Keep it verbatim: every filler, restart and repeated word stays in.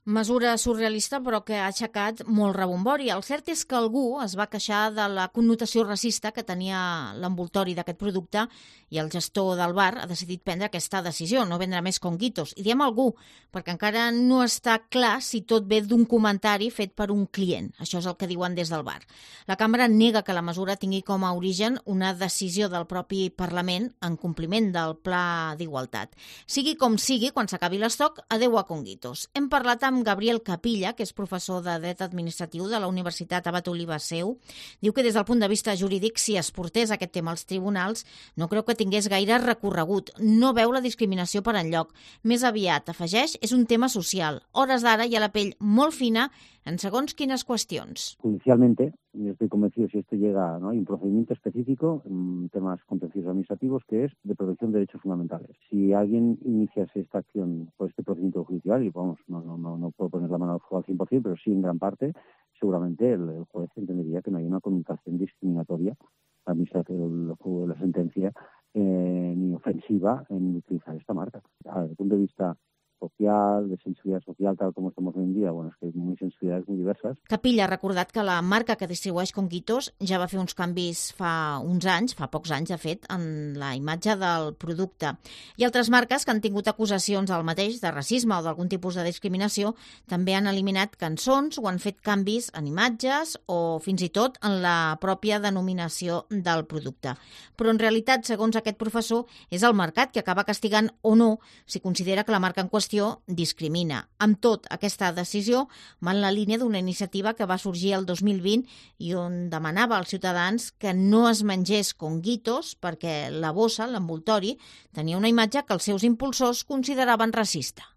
Mesura surrealista, però que ha aixecat molt rebombori. El cert és que algú es va queixar de la connotació racista que tenia l'envoltori d'aquest producte i el gestor del bar ha decidit prendre aquesta decisió, no vendre més conguitos. I diem algú, perquè encara no està clar si tot ve d'un comentari fet per un client. Això és el que diuen des del bar. La cambra nega que la mesura tingui com a origen una decisió del propi Parlament en compliment del Pla d'Igualtat. Sigui com sigui, quan s'acabi l'estoc, adeu a conguitos. Hem parlat amb Gabriel Capilla, que és professor de Dret Administratiu de la Universitat Abat Oliba Seu. Diu que des del punt de vista jurídic, si es portés aquest tema als tribunals, no creu que tingués gaire recorregut. No veu la discriminació per enlloc. Més aviat, afegeix, és un tema social. Hores d'ara hi ha la pell molt fina en segons quines qüestions. Judicialmente, yo estoy convencido si esto llega, ¿no? Hay un procedimiento específico en temas contenciosos administrativos que es de protección de derechos fundamentales. Si alguien iniciase esta acción por este procedimiento judicial, y vamos, no, no, no, no puedo poner la mano al fuego al cien por ciento, pero sí en gran parte, seguramente el, el juez entendería que no hay una connotación discriminatoria administrativa de la sentencia eh, ni ofensiva en utilizar esta marca. Desde el punto de vista social, de sensibilitat social, tal com estem hoy en dia, bueno, és que hi ha sensibilitats molt diverses. Capilla ha recordat que la marca que distribueix Conguitos ja va fer uns canvis fa uns anys, fa pocs anys, de fet, en la imatge del producte. I altres marques que han tingut acusacions del mateix, de racisme o d'algun tipus de discriminació, també han eliminat cançons o han fet canvis en imatges o fins i tot en la pròpia denominació del producte. Però en realitat, segons aquest professor, és el mercat que acaba castigant o no si considera que la marca en qüestió discrimina. Amb tot, aquesta decisió va en la línia d'una iniciativa que va sorgir el dos mil vint i on demanava als ciutadans que no es mengés conguitos perquè la bossa, l'envoltori, tenia una imatge que els seus impulsors consideraven racista.